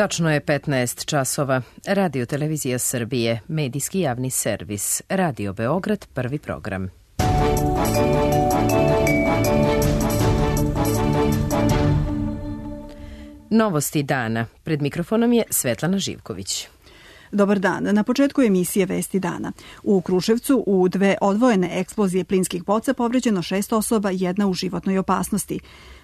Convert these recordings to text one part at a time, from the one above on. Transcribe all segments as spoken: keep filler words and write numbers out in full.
Tačno je petnaest časova. Radio Televizija Srbije, medijski javni servis. Radio Beograd, prvi program. Novosti dana. Pred mikrofonom je Svetlana Živković. Dobar dan. Na početku emisije Vesti dana. U Kruševcu u dve odvojene eksplozije plinskih boca povređeno šest osoba, jedna u životnoj opasnosti.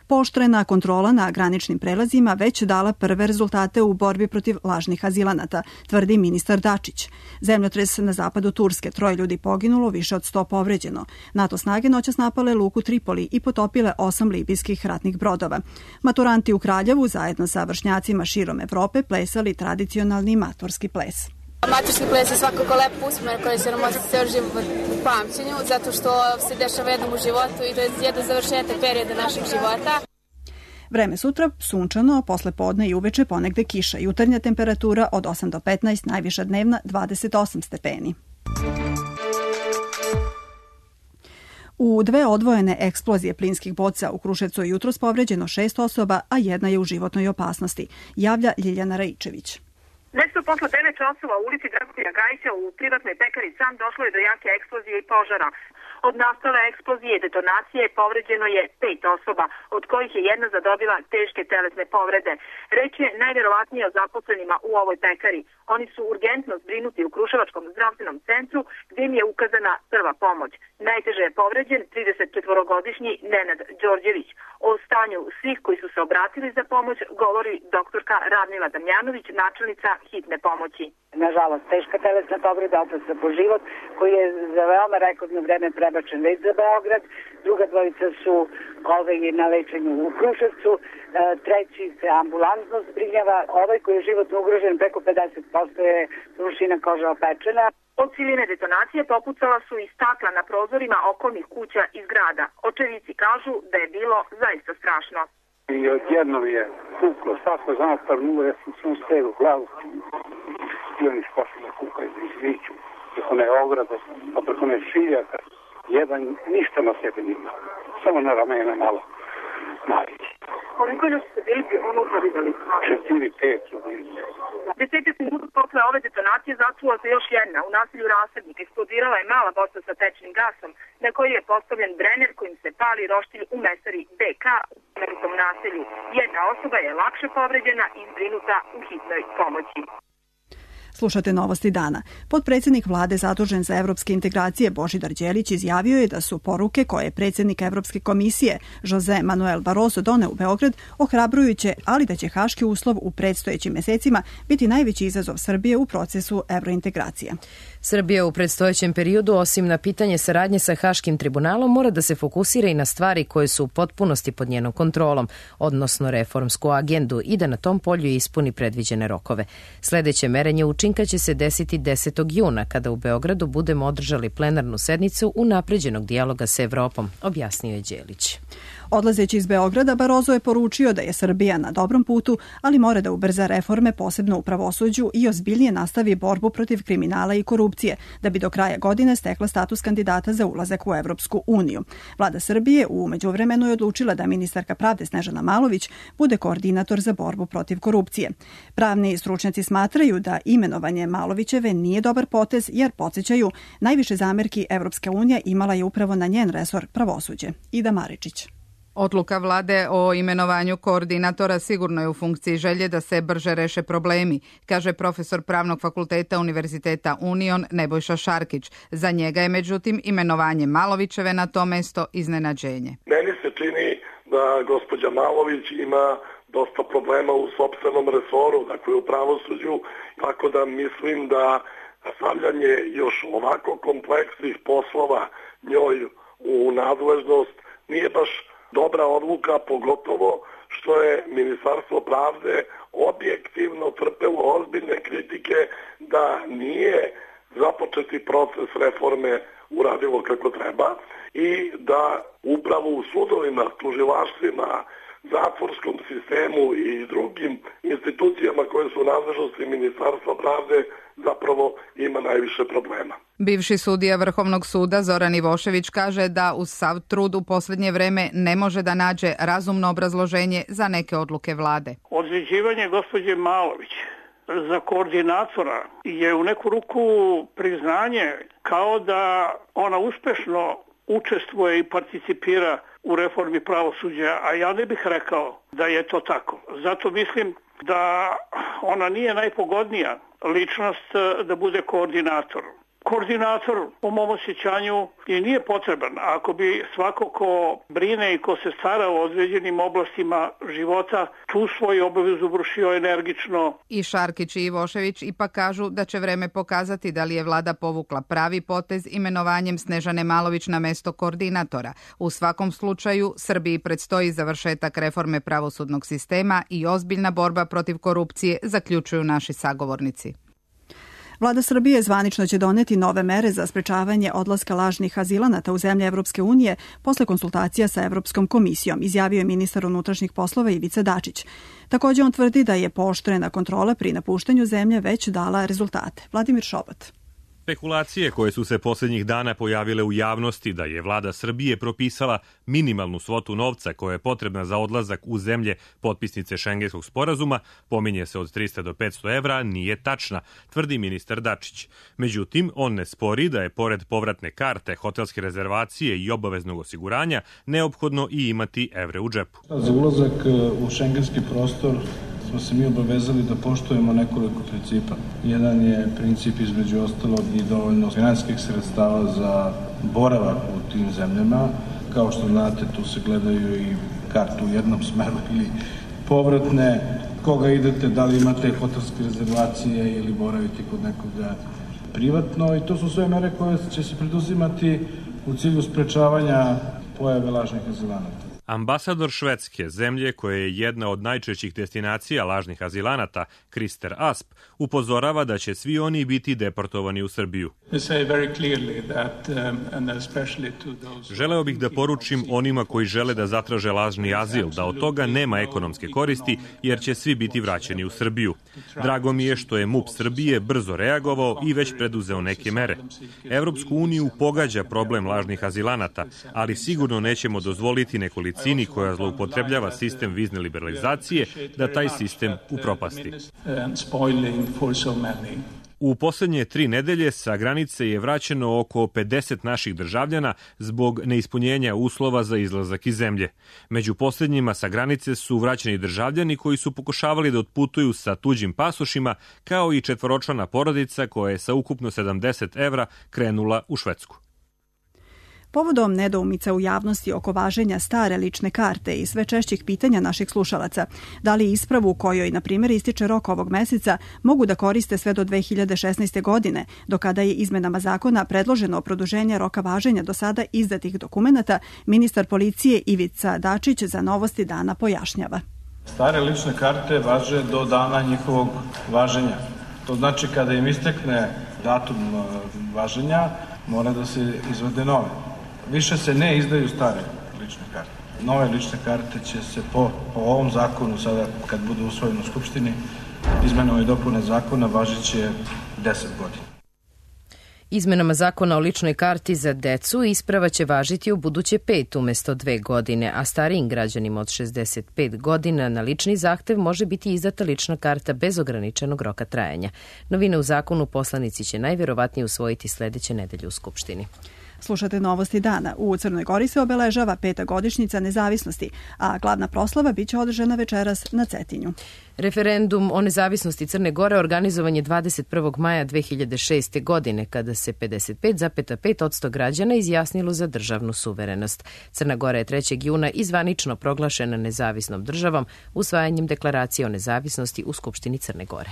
Pooštrena kontrola na graničnim prelazima već dala prve rezultate u borbi protiv lažnih azilanata, tvrdi ministar Dačić. Zemljotres na zapadu Turske, troje ljudi poginulo, više od sto povređeno. NATO snage noćas napale luku Tripoli i potopile osam libijskih ratnih brodova. Maturanti u Kraljevu zajedno sa vršnjacima širom Evrope plesali tradicionalni maturski ples. Maturski ples je svakako lep uspomena koji će nam ostati ceo život u pamćenju, zato što se dešava jednom u životu i to je jedan završetak perioda našeg života. Vreme sutra sunčano, posle podne i uveče ponegde kiša. Jutarnja temperatura od osam do petnaest, najviša dnevna dvadeset osam stepeni. U dve odvojene eksplozije plinskih boca u Kruševcu je jutros povređeno šest osoba, a jedna je u životnoj opasnosti, javlja Ljiljana Raičević. Nešto posle devet časova u ulici Dragotina Gajića u privatnoj pekari San došlo je do jake eksplozije i požara. Od nastale eksplozije i detonacije povređeno je pet osoba, od kojih je jedna zadobila teške telesne povrede. Reč je najverovatnije o zaposlenima u ovoj pekari. Oni su urgentno zbrinuti u Kruševačkom zdravstvenom centru gdje im je ukazana prva pomoć. Najteže je povređen tridesetčetvorogodišnji Nenad Đorđević. O stanju svih koji su se obratili za pomoć govori doktorka Radmila Damjanović, načelnica hitne pomoći. Nažalost, teška telesna povreda, opasna po život, koji je za veoma rekordno vreme prebačen već za Beograd. Druga dvojica su ove na lečenju u Kruševcu, treći se ambulantno zbrinjava. Ovaj koji je životno ugrožen, preko pedeset posto je rušina koža opečena. Od siline detonacije popucala su i stakla na prozorima okolnih kuća i zgrada. Očevici kažu da je bilo zaista strašno. I odjednom je puklo, svako zna parnulo, ja sam sam sve u glavu. I oni skošli da kukaju, da izviću. Preko ne ograde, pa preko ne šiljaka. Jedan ništa na sebe nima. Samo na ramena malo. Malić. Koliko ljudi ste bili unutra vidjeli? Četiri, pet. Desetak minuta posle ove detonacije začula se još jedna. U naselju Rasadnik eksplodirala je mala boca sa tečnim gasom, na koji je postavljen brener kojim se pali roštilj u mesari B K u pomenutom naselju. Jedna osoba je lakše povređena i zbrinuta u hitnoj pomoći. Slušate Novosti dana. Potpredsjednik vlade zadužen za evropske integracije Božidar Đelić izjavio je da su poruke koje je predsjednik Evropske komisije Jose Manuel Barroso doneo u Beograd ohrabrujuće, ali da će haški uslov u predstojećim mesecima biti najveći izazov Srbije u procesu evrointegracije. Srbija u predstojećem periodu, osim na pitanje saradnje sa Haškim tribunalom, mora da se fokusira i na stvari koje su u potpunosti pod njenom kontrolom, odnosno reformsku agendu, i da na tom polju ispuni predviđene rokove. Sledeće merenje učinka će se desiti desetog juna, kada u Beogradu budemo održali plenarnu sednicu unapređenog dijaloga sa Evropom, objasnio je Đelić. Odlazeći iz Beograda, Barroso je poručio da je Srbija na dobrom putu, ali mora da ubrza reforme, posebno u pravosuđu, i ozbiljnije nastavi borbu protiv kriminala i korupcije, da bi do kraja godine stekla status kandidata za ulazak u Evropsku uniju. Vlada Srbije u međuvremenu je odlučila da ministarka pravde Snežana Malović bude koordinator za borbu protiv korupcije. Pravni stručnjaci smatraju da imenovanje Malovićeve nije dobar potez, jer podsjećaju, najviše zamerki Evropska unija imala je upravo na njen resor pravosuđe. Ida Maričić. Odluka vlade o imenovanju koordinatora sigurno je u funkciji želje da se brže reše problemi, kaže profesor Pravnog fakulteta Univerziteta Union Nebojša Šarkić. Za njega je međutim imenovanje Malovićeve na to mesto iznenađenje. Meni se čini da gospođa Malović ima dosta problema u sopstvenom resoru, dakle u pravosuđu, tako da mislim da stavljanje još ovako kompleksnih poslova njoj u nadležnost nije baš dobra odluka, pogotovo što je Ministarstvo pravde objektivno trpelo ozbiljne kritike da nije započeti proces reforme uradilo kako treba i da upravo u sudovima, tužilaštvima, zatvorskom sistemu i drugim institucijama koje su u nadležnosti Ministarstva pravde zapravo ima najviše problema. Bivši sudija Vrhovnog suda Zoran Ivošević kaže da uz sav trud u posljednje vreme ne može da nađe razumno obrazloženje za neke odluke vlade. Određivanje gospođe Malović za koordinatora je u neku ruku priznanje kao da ona uspešno učestvuje i participira u reformi pravosuđa, a ja ne bih rekao da je to tako. Zato mislim da ona nije najpogodnija ličnost da bude koordinator. Koordinator, po mom osjećanju, i nije potreban. Ako bi svako ko brine i ko se stara o određenim oblastima života tu svoju obavezu vršio energično. I Šarkić i Ivošević ipak kažu da će vreme pokazati da li je vlada povukla pravi potez imenovanjem Snežane Malović na mesto koordinatora. U svakom slučaju, Srbiji predstoji završetak reforme pravosudnog sistema i ozbiljna borba protiv korupcije, zaključuju naši sagovornici. Vlada Srbije zvanično će doneti nove mere za sprečavanje odlaska lažnih azilanata u zemlje Evropske unije posle konsultacija sa Evropskom komisijom, izjavio je ministar unutrašnjih poslova Ivica Dačić. Također on tvrdi da je pooštrena kontrola pri napuštanju zemlje već dala rezultate. Vladimir Šobat. Spekulacije koje su se posljednjih dana pojavile u javnosti da je vlada Srbije propisala minimalnu svotu novca koja je potrebna za odlazak u zemlje potpisnice Šengenskog sporazuma, pominje se od trista do petsto evra, nije tačna, tvrdi ministar Dačić. Međutim, on ne spori da je pored povratne karte, hotelske rezervacije i obaveznog osiguranja neophodno i imati evre u džepu. Za ulazak u šengenski prostor smo se mi obavezali da poštujemo nekoliko principa. Jedan je princip između ostalog i dovoljno finansijskih sredstava za boravak u tim zemljama. Kao što znate, tu se gledaju i kartu u jednom smeru ili povratne, koga idete, da li imate hotelske rezervacije ili boravite kod nekoga privatno. I to su sve mere koje će se preduzimati u cilju sprečavanja pojave lažnih azilanata. Ambasador Švedske, zemlje koja je jedna od najčešćih destinacija lažnih azilanata, Krister Asp, upozorava da će svi oni biti deportovani u Srbiju. Želeo bih da poručim onima koji žele da zatraže lažni azil da od toga nema ekonomske koristi jer će svi biti vraćeni u Srbiju. Drago mi je što je MUP Srbije brzo reagovao i već preduzeo neke mere. Evropsku uniju pogađa problem lažnih azilanata, ali sigurno nećemo dozvoliti nekolicini cini koja zloupotrebljava sistem vizne liberalizacije da taj sistem upropasti. U posljednje tri nedelje sa granice je vraćeno oko pedeset naših državljana zbog neispunjenja uslova za izlazak iz zemlje. Među posljednjima sa granice su vraćeni državljani koji su pokušavali da otputuju sa tuđim pasošima, kao i četvoročlana porodica koja je sa ukupno sedamdeset evra krenula u Švedsku. Povodom nedoumica u javnosti oko važenja stare lične karte i sve češćih pitanja naših slušalaca, da li ispravu kojoj, na primjer, ističe rok ovog meseca, mogu da koriste sve do dve hiljade šesnaeste. godine, do kada je izmenama zakona predloženo produženje roka važenja do sada izdatih dokumenata, ministar policije Ivica Dačić za Novosti dana pojašnjava. Stare lične karte važe do dana njihovog važenja. To znači kada im istekne datum važenja, mora da se izvade nove. Više se ne izdaju stare lične karte. Nove lične karte će se po, po ovom zakonu, sada kad budu usvojeni u Skupštini, izmenama i dopune zakona važit će deset godina. Izmenama zakona o ličnoj karti za decu isprava će važiti u buduće pet umjesto dve godine, a starijim građanima od šezdeset pet godina na lični zahtev može biti izdata lična karta bez ograničenog roka trajanja. Novine u zakonu poslanici će najvjerovatnije usvojiti sljedeće nedelje u Skupštini. Slušate Novosti dana. U Crnoj Gori se obeležava peta godišnjica nezavisnosti, a glavna proslava biće održana večeras na Cetinju. Referendum o nezavisnosti Crne Gore organizovan je dvadeset prvog maja dve hiljade šeste. godine, kada se pedeset pet zarez pet posto građana izjasnilo za državnu suverenost. Crna Gora je trećeg juna izvanično proglašena nezavisnom državom usvajanjem deklaracije o nezavisnosti u Skupštini Crne Gore.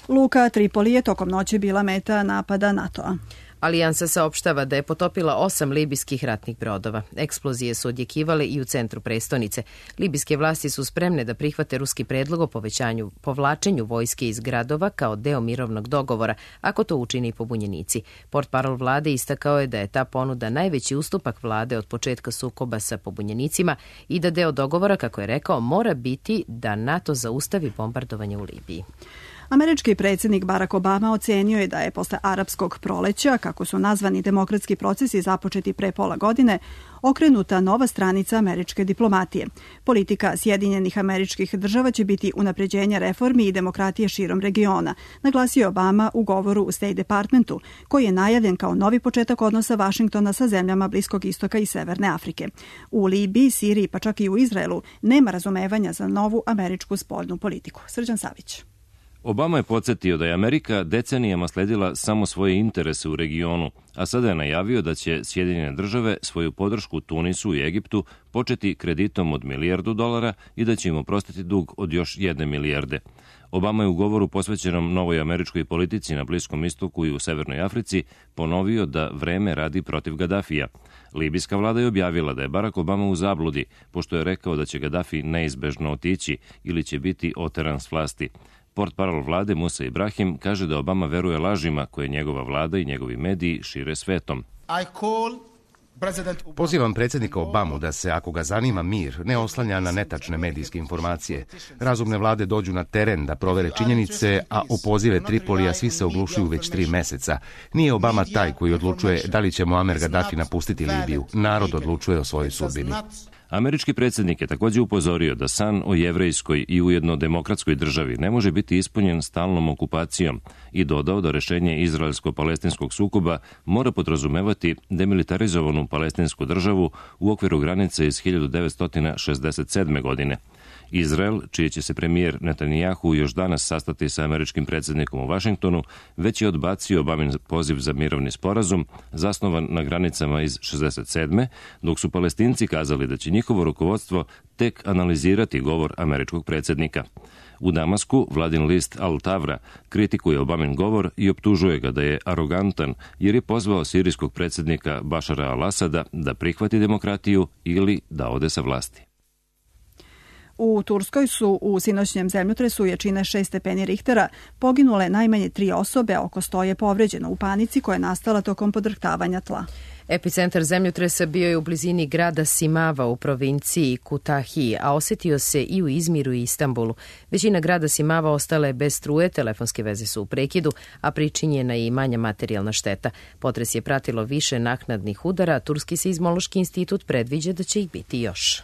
Luka Tripoli je tokom noći bila meta napada NATO-a. Alijansa saopštava da je potopila osam libijskih ratnih brodova. Eksplozije su odjekivale i u centru prestonice. Libijske vlasti su spremne da prihvate ruski predlog o povećanju, povlačenju vojske iz gradova kao deo mirovnog dogovora, ako to učini pobunjenici. Portparol vlade istakao je da je ta ponuda najveći ustupak vlade od početka sukoba sa pobunjenicima i da deo dogovora, kako je rekao, mora biti da NATO zaustavi bombardovanje u Libiji. Američki predsjednik Barack Obama ocenio je da je posle arapskog proleća, kako su nazvani demokratski procesi započeti pre pola godine, okrenuta nova stranica američke diplomatije. Politika Sjedinjenih Američkih Država će biti unapređenje reformi i demokratije širom regiona, naglasio je Obama u govoru u State Departmentu, koji je najavljen kao novi početak odnosa Vašingtona sa zemljama Bliskog istoka i Severne Afrike. U Libiji, Siriji pa čak i u Izraelu nema razumevanja za novu američku spoljnu politiku. Srđan Savić. Obama je podsjetio da je Amerika decenijama sledila samo svoje interese u regionu, a sada je najavio da će Sjedinjene države svoju podršku Tunisu i Egiptu početi kreditom od milijardu dolara i da će im oprostiti dug od još jedne milijarde. Obama je u govoru posvećenom novoj američkoj politici na Bliskom istoku i u Severnoj Africi ponovio da vreme radi protiv Gadafija. Libijska vlada je objavila da je Barack Obama u zabludi, pošto je rekao da će Gadafi neizbežno otići ili će biti oteran s vlasti. Portparol vlade Musa Ibrahim kaže da Obama veruje lažima koje njegova vlada i njegovi mediji šire svetom. Pozivam predsjednika Obamu da se, ako ga zanima mir, ne oslanja na netačne medijske informacije. Razumne vlade dođu na teren da provere činjenice, a o pozive Tripolija svi se oglušuju već tri meseca. Nije Obama taj koji odlučuje da li će Muamer Gaddafi napustiti Libiju. Narod odlučuje o svojoj sudbini. Američki predsjednik je također upozorio da san o jevrejskoj i ujedno demokratskoj državi ne može biti ispunjen stalnom okupacijom i dodao da rešenje izraelsko-palestinskog sukoba mora podrazumevati demilitarizovanu palestinsku državu u okviru granice iz hiljadu devetsto šezdeset sedme. godine. Izrael, čiji će se premijer Netanjahu još danas sastati sa američkim predsjednikom u Vašingtonu, već je odbacio Obamin poziv za mirovni sporazum zasnovan na granicama iz šezdeset sedme. dok su Palestinci kazali da će njihovo rukovodstvo tek analizirati govor američkog predsjednika. U Damasku vladin list Al Tavra kritikuje Obamin govor i optužuje ga da je arogantan jer je pozvao sirijskog predsjednika Bašara al-Asada da prihvati demokratiju ili da ode sa vlasti. U Turskoj su u sinoćnjem zemljotresu jačine šest stepeni Richtera poginule najmanje tri osobe, a oko sto je povređeno u panici koja je nastala tokom podrhtavanja tla. Epicentar zemljotresa bio je u blizini grada Simava u provinciji Kutahi, a osetio se i u Izmiru i Istanbulu. Većina grada Simava ostala je bez struje, telefonske veze su u prekidu, a pričinjena je i manja materijalna šteta. Potres je pratilo više naknadnih udara, a Turski seizmološki institut predviđa da će ih biti još.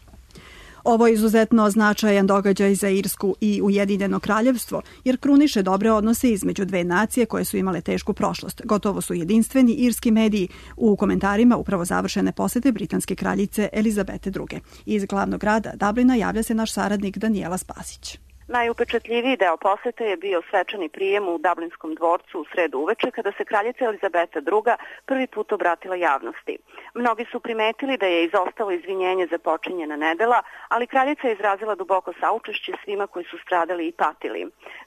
Ovo je izuzetno značajan događaj za Irsku i Ujedinjeno kraljevstvo, jer kruniše dobre odnose između dve nacije koje su imale tešku prošlost. Gotovo su jedinstveni irski mediji u komentarima upravo završene posete britanske kraljice Elizabete druge. Iz glavnog grada Dublina javlja se naš saradnik Danijela Spasić. Najupečatljiviji deo posete je bio svečani prijem u Dublinskom dvorcu u sredu uveče kada se kraljica Elizabeta druga prvi put obratila javnosti. Mnogi su primetili da je izostalo izvinjenje za počinjena nedela, ali kraljica je izrazila duboko saučešće svima koji su stradali i patili.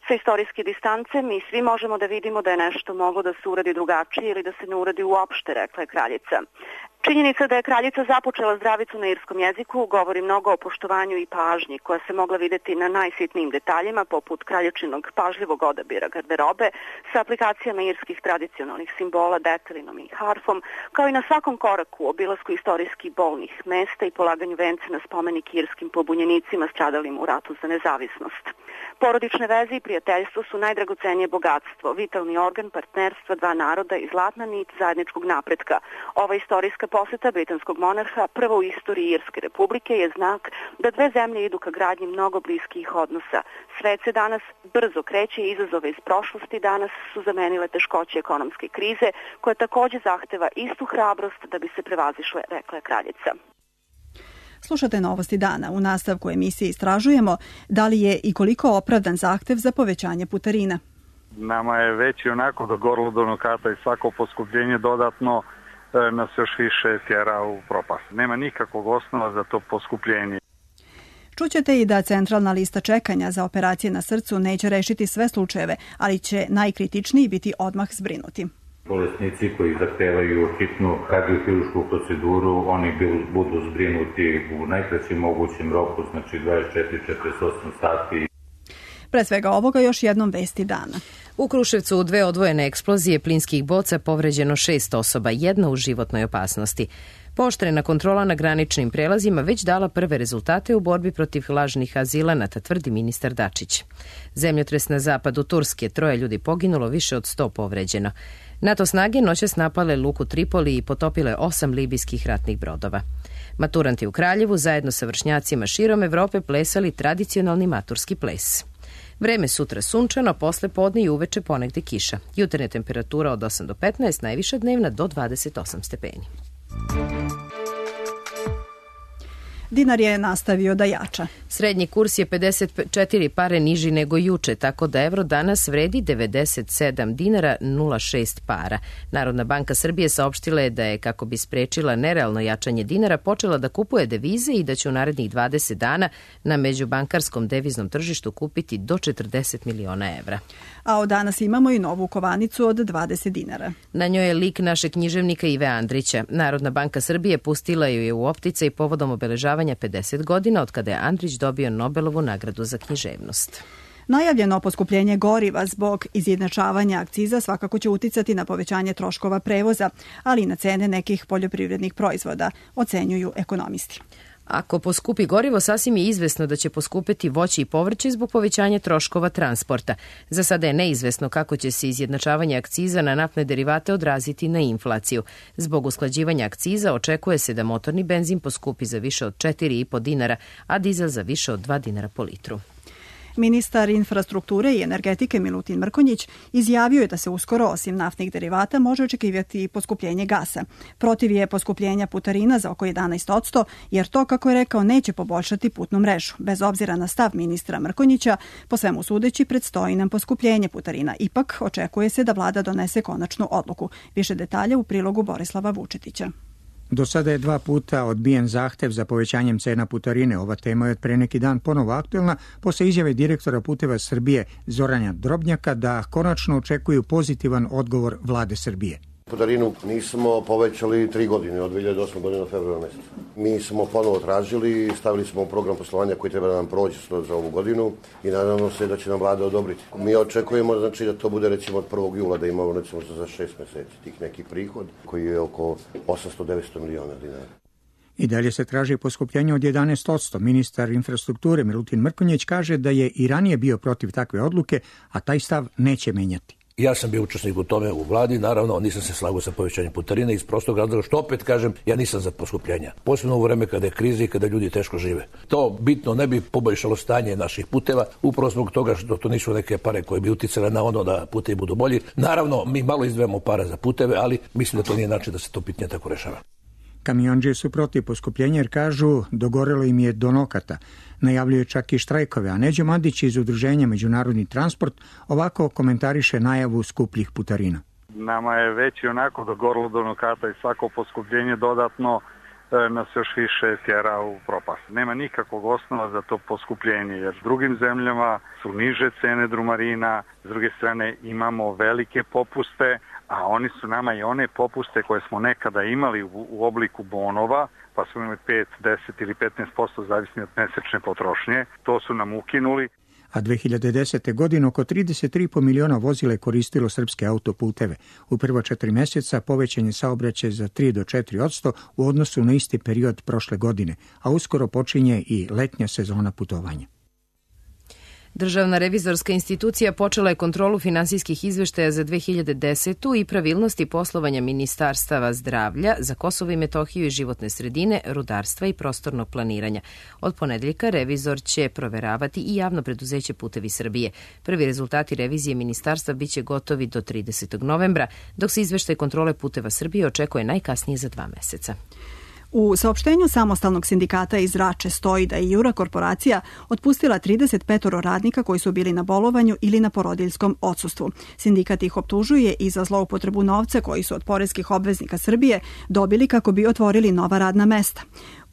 Sa istorijske distance mi svi možemo da vidimo da je nešto moglo da se uradi drugačije ili da se ne uradi uopšte, rekla je kraljica. Činjenica da je kraljica započela zdravicu na irskom jeziku govori mnogo o poštovanju i pažnji koja se mogla vidjeti na najsitnijim detaljima poput kraljičinog pažljivog odabira garderobe sa aplikacijama irskih tradicionalnih simbola, detelinom i harfom, kao i na svakom koraku obilasku istorijskih bolnih mesta i polaganju vence na spomenik irskim pobunjenicima stradalim u ratu za nezavisnost. Porodične veze i prijateljstvo su najdragocenije bogatstvo, vitalni organ partnerstva dva naroda i zlatna nit zajedničkog napretka. Ova istorijska poseta britanskog monarha prvo u istoriji Irske republike je znak da dve zemlje idu ka gradnji mnogo bliskih odnosa. Svet se danas brzo kreće i izazove iz prošlosti danas su zamenile teškoće ekonomske krize koja također zahteva istu hrabrost da bi se prevazišle, rekla je kraljica. Slušate novosti dana. U nastavku emisije istražujemo da li je i koliko opravdan zahtev za povećanje putarina. Nama je već i onako do gorla do nokata i svako poskupljenje dodatno nas još više tjera u propast. Nema nikakvog osnova za to poskupljenje. Čućete i da centralna lista čekanja za operacije na srcu neće rešiti sve slučajeve, ali će najkritičniji biti odmah zbrinuti. Bolesnici koji zahtevaju hitnu kardiohirušku proceduru, oni budu zbrinuti u najkraćem mogućem roku, znači dvadeset četiri do četrdeset osam sati. Pre svega ovoga još jednom vesti dana. U Kruševcu u dve odvojene eksplozije plinskih boca povređeno šest osoba, jedna u životnoj opasnosti. Pooštrena kontrola na graničnim prelazima već dala prve rezultate u borbi protiv lažnih azilanata, tvrdi ministar Dačić. Zemljotres na zapadu Turske, troje ljudi poginulo, više od sto povređeno. NATO snage noćas napale luku Tripoli i potopile osam libijskih ratnih brodova. Maturanti u Kraljevu zajedno sa vršnjacima širom Evrope plesali tradicionalni maturski ples. Vreme sutra sunčano, posle podne i uveče ponegde kiša. Jutarnja temperatura od osam do petnaest, najviša dnevna do dvadeset osam stepeni. Dinar je nastavio da jača. Srednji kurs je pedeset četiri pare niži nego juče, tako da evro danas vredi devedeset sedam dinara nula šest para. Narodna banka Srbije saopštila je da je, kako bi sprečila nerealno jačanje dinara, počela da kupuje devize i da će u narednih dvadeset dana na međubankarskom deviznom tržištu kupiti do četrdeset miliona evra. A od danas imamo i novu kovanicu od dvadeset dinara. Na njoj je lik našeg književnika Ive Andrića. Narodna banka Srbije pustila ju je u opticaj povodom obeležavanja pedeset godina od kada je Andrić dobio Nobelovu nagradu za književnost. Najavljeno poskupljenje goriva zbog izjednačavanja akciza svakako će uticati na povećanje troškova prevoza, ali i na cene nekih poljoprivrednih proizvoda, ocenjuju ekonomisti. Ako poskupi gorivo, sasvim je izvesno da će poskupeti voće i povrće zbog povećanja troškova transporta. Za sada je neizvesno kako će se izjednačavanje akciza na naftne derivate odraziti na inflaciju. Zbog usklađivanja akciza očekuje se da motorni benzin poskupi za više od četiri i po dinara, a dizel za više od dva dinara po litru. Ministar infrastrukture i energetike Milutin Mrkonjić izjavio je da se uskoro, osim naftnih derivata, može očekivati i poskupljenje gasa. Protiv je poskupljenja putarina za oko jedanaest posto, jer to, kako je rekao, neće poboljšati putnu mrežu. Bez obzira na stav ministra Mrkonjića, po svemu sudeći, predstoji nam poskupljenje putarina. Ipak, očekuje se da vlada donese konačnu odluku. Više detalja u prilogu Borislava Vučetića. Do sada je dva puta odbijen zahtev za povećanjem cena putarine. Ova tema je od pre neki dan ponovo aktuelna posle izjave direktora Puteva Srbije Zorana Drobnjaka da konačno očekuju pozitivan odgovor vlade Srbije. Putarinu nismo povećali tri godine, od dve hiljade osme godine do februara meseca. Mi smo ponovo tražili, stavili smo u program poslovanja koji treba da nam prođe za ovu godinu i nadamo se da će nam vlada odobriti. Mi očekujemo, znači, da to bude recimo od prvog jula, da imamo recimo za šest meseci tih neki prihod koji je oko osamsto do devetsto miliona dinara. I dalje se traži poskupljenje od jedanaest posto. Ministar infrastrukture Milutin Mrkonjić kaže da je i ranije bio protiv takve odluke, a taj stav neće menjati. Ja sam bio učesnik u tome u vladi, naravno nisam se slagao sa povećanjem putarine iz prostog razloga što opet kažem, ja nisam za poskupljenja. Posebno u vreme kada je kriza i kada ljudi teško žive. To bitno ne bi poboljšalo stanje naših puteva, upravo zbog toga što to nisu neke pare koje bi uticale na ono da putevi budu bolji. Naravno, mi malo izdvajamo para za puteve, ali mislim da to nije način da se to pitanje tako rešava. Kamiondžije su protiv poskupljenja jer kažu dogorelo im je do nokata. Najavljuje čak i štrajkove, a Neđo Mandić iz udruženja Međunarodni transport ovako komentariše najavu skupljih putarina. Nama je već i onako dogorelo do nokata i svako poskupljenje dodatno e, nas još više tjera u propast. Nema nikakvog osnova za to poskupljenje, jer drugim zemljama su niže cene drumarina, s druge strane imamo velike popuste, a oni su nama i one popuste koje smo nekada imali u, u obliku bonova, pa smo imali pet, deset ili petnaest posto zavisni od mesečne potrošnje. To su nam ukinuli. A dve hiljade desete. godine oko trideset tri i po miliona vozila je koristilo srpske autoputeve. U prva četiri mjeseca povećan je saobraćaj za tri do četiri posto u odnosu na isti period prošle godine, a uskoro počinje i letnja sezona putovanja. Državna revizorska institucija počela je kontrolu finansijskih izveštaja za dve hiljade desetu. i pravilnosti poslovanja Ministarstava zdravlja za Kosovo i Metohiju i životne sredine, rudarstva i prostornog planiranja. Od ponedeljka revizor će proveravati i javno preduzeće Putevi Srbije. Prvi rezultati revizije ministarstva biće gotovi do tridesetog novembra, dok se izveštaj kontrole Puteva Srbije očekuje najkasnije za dva meseca. U saopštenju samostalnog sindikata iz Rače stoji da je Jura korporacija otpustila trideset pet radnika koji su bili na bolovanju ili na porodiljskom odsustvu. Sindikat ih optužuje i za zloupotrebu novca koji su od poreskih obveznika Srbije dobili kako bi otvorili nova radna mesta.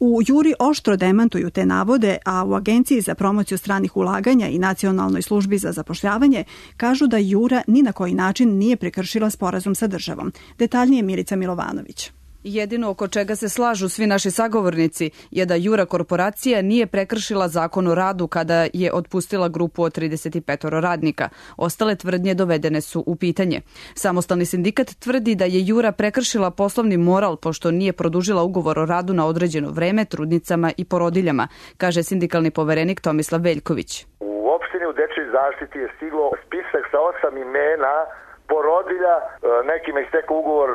U Juri oštro demantuju te navode, a u Agenciji za promociju stranih ulaganja i Nacionalnoj službi za zapošljavanje kažu da Jura ni na koji način nije prekršila sporazum sa državom. Detaljnije Milica Milovanović. Jedino oko čega se slažu svi naši sagovornici je da Jura korporacija nije prekršila zakon o radu kada je otpustila grupu od trideset pet radnika. Ostale tvrdnje dovedene su u pitanje. Samostalni sindikat tvrdi da je Jura prekršila poslovni moral pošto nije produžila ugovor o radu na određeno vreme trudnicama i porodiljama, kaže sindikalni poverenik Tomislav Veljković. U opštini u dečjoj zaštiti je stiglo spisak sa osam imena porodilja, nekima istekao ugovor,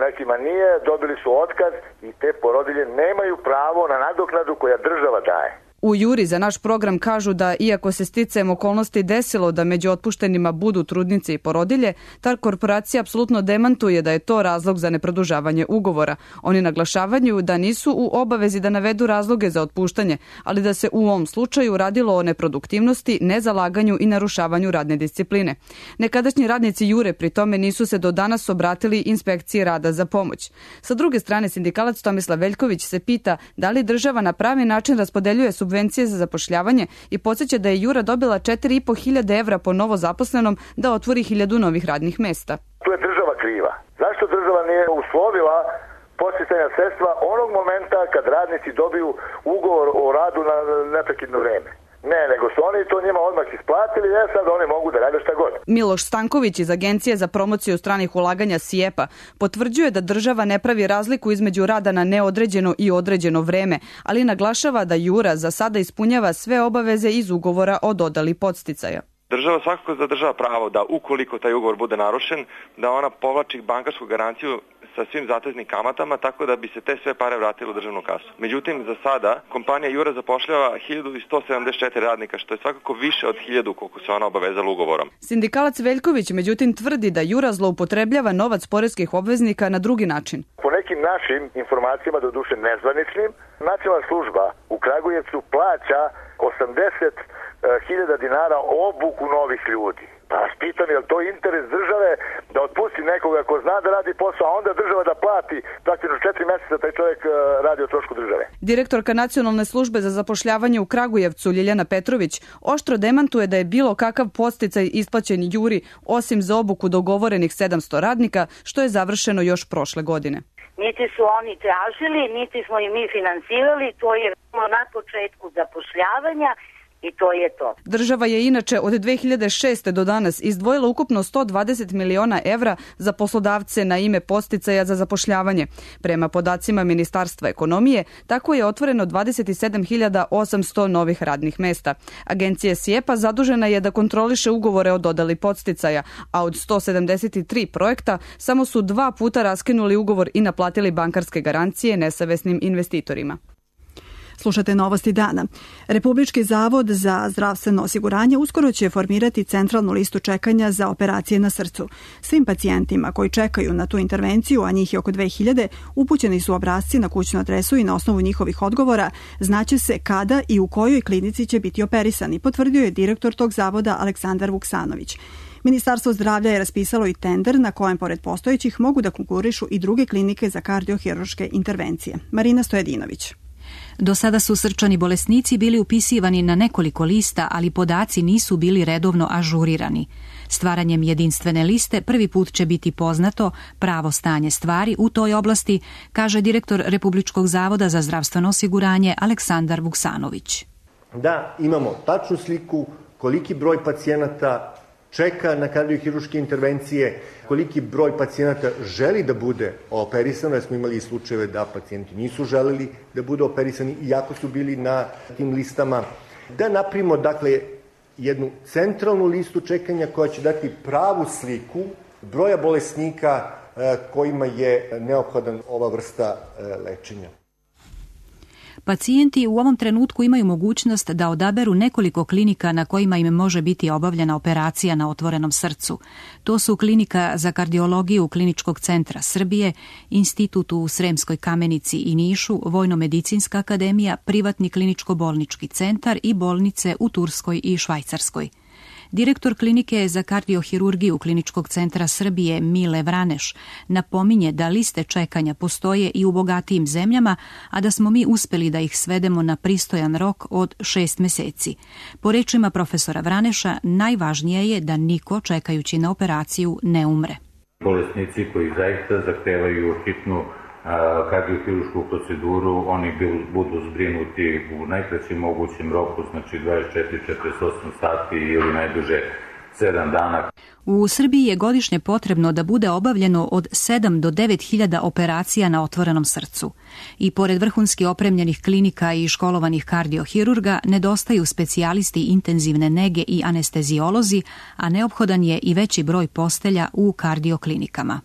nekima nije, dobili su otkaz i te porodilje nemaju pravo na nadoknadu koja država daje. U Juri za naš program kažu da iako se sticajem okolnosti desilo da među otpuštenima budu trudnice i porodilje, ta korporacija apsolutno demantuje da je to razlog za neprodužavanje ugovora. Oni naglašavaju da nisu u obavezi da navedu razloge za otpuštanje, ali da se u ovom slučaju radilo o neproduktivnosti, nezalaganju i narušavanju radne discipline. Nekadašnji radnici Jure pri tome nisu se do danas obratili inspekciji rada za pomoć. Sa druge strane, sindikalac Tomislav Veljković se pita da li država na pravi način raspodeljuje subvencije za zapošljavanje i podsjeća da je Jura dobila četiri i po hiljade evra po novo zaposlenom da otvori hiljadu novih radnih mesta. Tu je država kriva. Zašto država nije uslovila podsticajna sredstva onog momenta kad radnici dobiju ugovor o radu na neprekidno vreme? Ne, nego su oni to njima odmah isplatili, e sad oni mogu da rade šta god. Miloš Stanković iz Agencije za promociju stranih ulaganja SIEPA potvrđuje da država ne pravi razliku između rada na neodređeno i određeno vreme, ali naglašava da Jura za sada ispunjava sve obaveze iz ugovora o dodali podsticaja. Država svakako zadržava pravo da ukoliko taj ugovor bude narušen, da ona povlači bankarsku garanciju sa svim zateznim kamatama, tako da bi se te sve pare vratile u državnu kasu. Međutim, za sada kompanija Jura zapošljava hiljadu sto sedamdeset četiri radnika, što je svakako više od hiljadu koliko se ona obavezala ugovorom. Sindikalac Veljković međutim tvrdi da Jura zloupotrebljava novac poreskih obveznika na drugi način. Po nekim našim informacijama, doduše nezvaničnim, nacionalna služba u Kragujevcu plaća osamdeset hiljada dinara obuku novih ljudi. Pa vas pitam, je li to interes države da otpusti nekoga ko zna da radi posao, a onda država da plati praktično četiri mjeseca taj čovjek radi o trošku države. Direktorka Nacionalne službe za zapošljavanje u Kragujevcu Ljiljana Petrović oštro demantuje da je bilo kakav podsticaj isplaćen Juri osim za obuku dogovorenih sedamsto radnika, što je završeno još prošle godine. Niti su oni tražili, niti smo i mi finansirali, to je na početku zapošljavanja. I to je to. Država je inače od dve hiljade šeste do danas izdvojila ukupno sto dvadeset miliona evra za poslodavce na ime podsticaja za zapošljavanje. Prema podacima Ministarstva ekonomije, tako je otvoreno dvadeset sedam hiljada osamsto novih radnih mesta. Agencija SIEPA zadužena je da kontroliše ugovore o dodali podsticaja, a od sto sedamdeset tri projekta samo su dva puta raskinuli ugovor i naplatili bankarske garancije nesavesnim investitorima. Slušate novosti dana. Republički zavod za zdravstveno osiguranje uskoro će formirati centralnu listu čekanja za operacije na srcu. Svim pacijentima koji čekaju na tu intervenciju, a njih je oko dve hiljade, upućeni su obrasci na kućnu adresu i na osnovu njihovih odgovora znaće se kada i u kojoj klinici će biti operisani, potvrdio je direktor tog zavoda Aleksandar Vuksanović. Ministarstvo zdravlja je raspisalo i tender na kojem pored postojećih mogu da konkurišu i druge klinike za kardiohirurške intervencije. Marina Stojedinović. Do sada su srčani bolesnici bili upisivani na nekoliko lista, ali podaci nisu bili redovno ažurirani. Stvaranjem jedinstvene liste prvi put će biti poznato pravo stanje stvari u toj oblasti, kaže direktor Republičkog zavoda za zdravstveno osiguranje Aleksandar Vuksanović. Da imamo tačnu sliku koliki broj pacijenata čeka na kardiohirurške intervencije, koliki broj pacijenata želi da bude operisano, jer smo imali slučajeve da pacijenti nisu želeli da budu operisani iako su bili na tim listama. Da napravimo, dakle, jednu centralnu listu čekanja koja će dati pravu sliku broja bolesnika kojima je neophodan ova vrsta lečenja. Pacijenti u ovom trenutku imaju mogućnost da odaberu nekoliko klinika na kojima im može biti obavljena operacija na otvorenom srcu. To su Klinika za kardiologiju Kliničkog centra Srbije, Institut u Sremskoj Kamenici i Nišu, Vojno-medicinska akademija, privatni kliničko-bolnički centar i bolnice u Turskoj i Švajcarskoj. Direktor Klinike za kardiohirurgiju Kliničkog centra Srbije Mile Vraneš napominje da liste čekanja postoje i u bogatijim zemljama, a da smo mi uspeli da ih svedemo na pristojan rok od šest meseci. Po rečima profesora Vraneša, najvažnije je da niko čekajući na operaciju ne umre. Bolesnici koji zaista zahtevaju hitnu kardiohirušku proceduru, oni budu zbrinuti u najkraćem mogućem roku, znači dvadeset četiri do četrdeset osam sati ili najduže sedam dana. U Srbiji je godišnje potrebno da bude obavljeno od sedam do devet hiljada operacija na otvorenom srcu. I pored vrhunski opremljenih klinika i školovanih kardiohirurga, nedostaju specijalisti intenzivne nege i anestezijolozi, a neophodan je i veći broj postelja u kardioklinikama.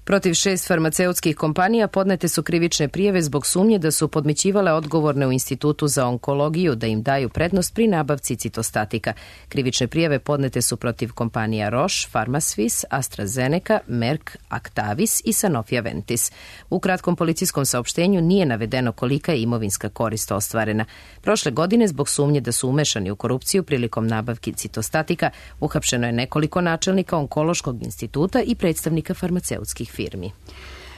Protiv šest farmaceutskih kompanija podnete su krivične prijave zbog sumnje da su podmićivale odgovorne u Institutu za onkologiju da im daju prednost pri nabavci citostatika. Krivične prijave podnete su protiv kompanija Roche, Pharmaswiss, AstraZeneca, Merck, Actavis i Sanofi Aventis. U kratkom policijskom saopštenju nije navedeno kolika je imovinska korist ostvarena. Prošle godine zbog sumnje da su umešani u korupciju prilikom nabavki citostatika uhapšeno je nekoliko načelnika Onkološkog instituta i predstavnika farmaceutskih firmi.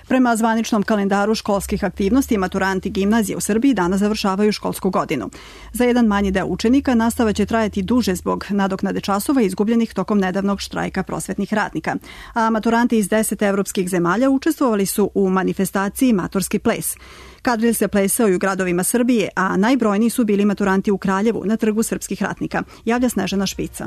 Prema zvaničnom kalendaru školskih aktivnosti, maturanti gimnazije u Srbiji danas završavaju školsku godinu. Za jedan manji deo učenika nastava će trajati duže zbog nadoknade časova izgubljenih tokom nedavnog štrajka prosvetnih radnika. A maturanti iz deset evropskih zemalja učestvovali su u manifestaciji Maturski ples. Kadril se plesao i u gradovima Srbije, a najbrojniji su bili maturanti u Kraljevu na trgu srpskih ratnika. Javlja Snežana Špica.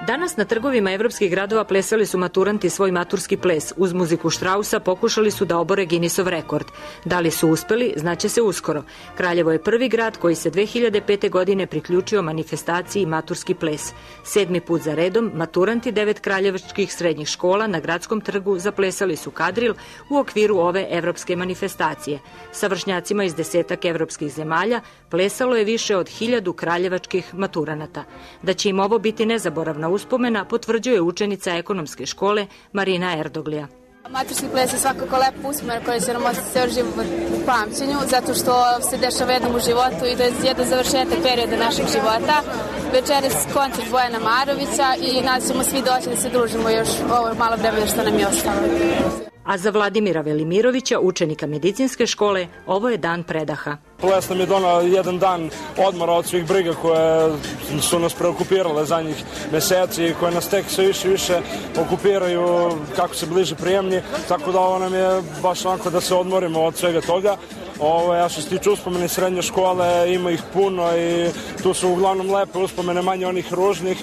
Danas na trgovima evropskih gradova plesali su maturanti svoj maturski ples. Uz muziku Štrausa pokušali su da obore Guinnessov rekord. Da li su uspeli, znaće se uskoro. Kraljevo je prvi grad koji se dve hiljade pete. godine priključio manifestaciji Maturski ples. Sedmi put za redom, maturanti devet kraljevačkih srednjih škola na gradskom trgu zaplesali su kadril u okviru ove evropske manifestacije. Sa vršnjacima iz desetak evropskih zemalja plesalo je više od hiljadu kraljevačkih maturanata. Da će im ovo biti nezaboravna uspomena potvrđuje učenica ekonomske škole Marina Erdoglija. Maturski ples je svakako lep uspomena koji će nam ostati ceo život u pamćenju, zato što se dešava jednom u životu i to je jedan završetak perioda našeg života. Večeras koncert Bojana Marovića i nas ćemo svi doći da se družimo još ovo malo vremena što nam je ostalo. A za Vladimira Velimirovića, učenika medicinske škole, ovo je dan predaha. Ples nam je donao jedan dan odmora od svih briga koje su nas preokupirale zadnjih meseci i koje nas tek sve više i više okupiraju kako se bliže prijemni, tako da ovo nam je baš onako da se odmorimo od svega toga. Ovo, ja što se tiče uspomene srednje škole, ima ih puno i tu su uglavnom lepe uspomene, manje onih ružnih,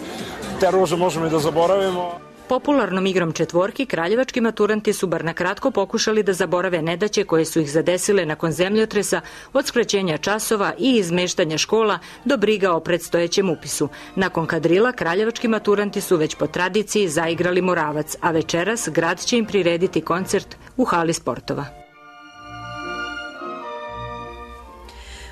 te ruže možemo i da zaboravimo. Popularnom igrom četvorki kraljevački maturanti su bar na kratko pokušali da zaborave nedaće koje su ih zadesile nakon zemljotresa, od skraćenja časova i izmeštanja škola do briga o predstojećem upisu. Nakon kadrila kraljevački maturanti su već po tradiciji zaigrali Moravac, a večeras grad će im prirediti koncert u hali sportova.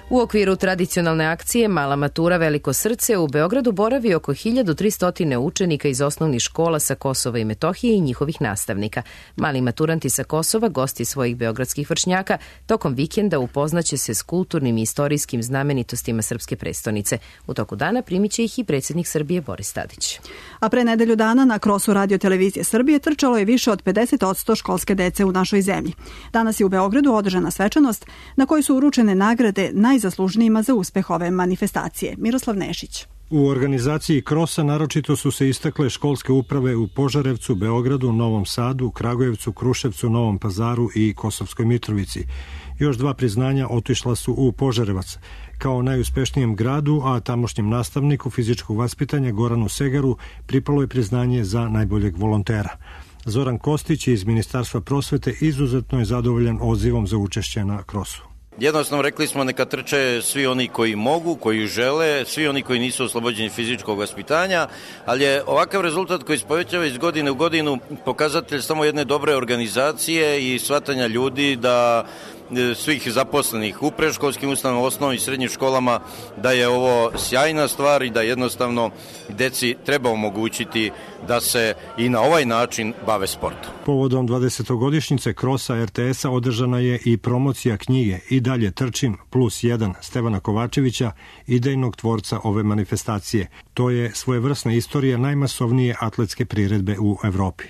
U okviru tradicionalne akcije Mala matura Veliko srce u Beogradu boravi oko hiljadu tristo učenika iz osnovnih škola sa Kosova i Metohije i njihovih nastavnika. Mali maturanti sa Kosova, gosti svojih beogradskih vršnjaka, tokom vikenda upoznaće se s kulturnim i istorijskim znamenitostima srpske prestonice. U toku dana primit će ih i predsjednik Srbije Boris Tadić. A pre nedelju dana na krosu Radio televizije Srbije trčalo je više od pedeset odsto školske dece u našoj zemlji. Danas je u Beogradu održana svečanost na kojoj su uručene nagrade najzaslužnijima za uspeh ove manifestacije. Miroslav Nešić. U organizaciji krosa naročito su se istakle školske uprave u Požarevcu, Beogradu, Novom Sadu, Kragujevcu, Kruševcu, Novom Pazaru i Kosovskoj Mitrovici. Još dva priznanja otišla su u Požarevac. Kao najuspešnijem gradu, a tamošnjem nastavniku fizičkog vaspitanja Goranu Segaru pripalo je priznanje za najboljeg volontera. Zoran Kostić iz Ministarstva prosvete izuzetno je zadovoljan odzivom za učešće na krosu. Jednostavno rekli smo neka trče svi oni koji mogu, koji žele, svi oni koji nisu oslobođeni fizičkog vaspitanja, ali je ovakav rezultat koji se povećava iz godine u godinu pokazatelj samo jedne dobre organizacije i shvatanja ljudi da svih zaposlenih u predškolskim ustanovama, osnovnim i srednjim školama, da je ovo sjajna stvar i da jednostavno deci treba omogućiti da se i na ovaj način bave sportom. Povodom dvadesetogodišnjice krosa er te es-a održana je i promocija knjige I dalje trčim plus jedan Stevana Kovačevića, idejnog tvorca ove manifestacije. To je svojevrsna istorija najmasovnije atletske priredbe u Evropi.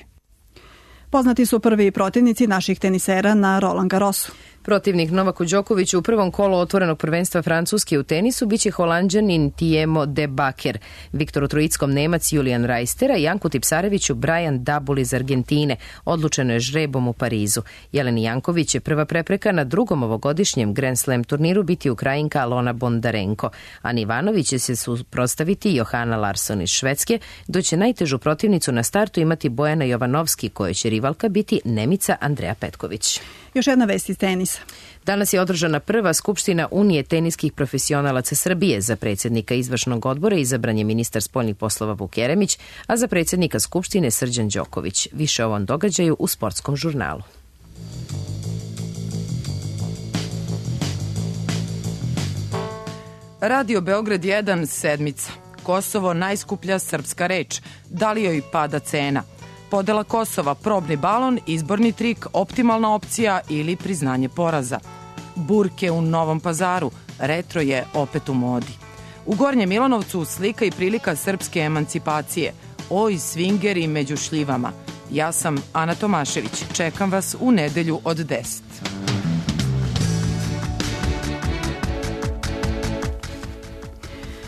Poznati su prvi protivnici naših tenisera na Roland Garrosu. Protivnik Novaku Đokoviću u prvom kolu otvorenog prvenstva Francuske u tenisu biće Holanđanin Tijemo de Baker, Viktoru Trojickom Nemac Julijan Rajstera i Janku Tipsareviću Brian Dabul iz Argentine. Odlučeno je žrebom u Parizu. Jeleni Janković će prva prepreka na drugom ovogodišnjem Grand Slam turniru biti Ukrajinka Alona Bondarenko. Ani Ivanović će se suprotstaviti Johana Larsson iz Švedske, dok će najtežu protivnicu na startu imati Bojana Jovanovski, kojoj će rivalka biti Nemica Andreja Petković. Još jedna vest iz tenisa. Danas je održana prva skupština Unije teniskih profesionalaca Srbije. Za predsjednika izvršnog odbora izabran je ministar spoljnih poslova Vuk Jeremić, a za predsjednika skupštine Srđan Đoković. Više o ovom događaju u Sportskom žurnalu. Radio Beograd jedan, sedmica. Kosovo najskuplja srpska reč. Da li joj pada cena? Podela Kosova, probni balon, izborni trik, optimalna opcija ili priznanje poraza. Burke u Novom Pazaru, retro je opet u modi. U Gornjem Milanovcu slika i prilika srpske emancipacije. Oj, svingeri među šljivama. Ja sam Ana Tomašević. Čekam vas u nedelju od deset.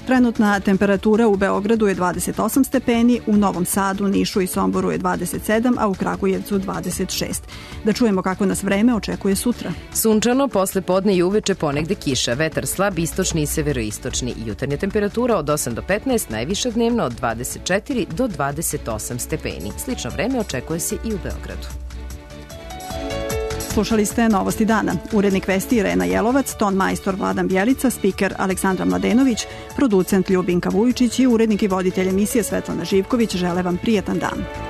Trenutna temperatura u Beogradu je dvadeset osam stepeni, u Novom Sadu, Nišu i Somboru je dvadeset sedam, a u Kragujevcu dvadeset šest. Da čujemo kako nas vreme očekuje sutra. Sunčano, posle podne i uveče ponegde kiša, vetar slab, istočni i severoistočni. Jutarnja temperatura od osam do petnaest, najviša dnevno od dvadeset četiri do dvadeset osam stepeni. Slično vreme očekuje se i u Beogradu. Slušali ste Novosti dana. Urednik vesti Irena Jelovac, ton majstor Vladan Bjelica, spiker Aleksandra Mladenović, producent Ljubinka Vujičić i urednik i voditelj emisije Svetlana Živković žele vam prijetan dan.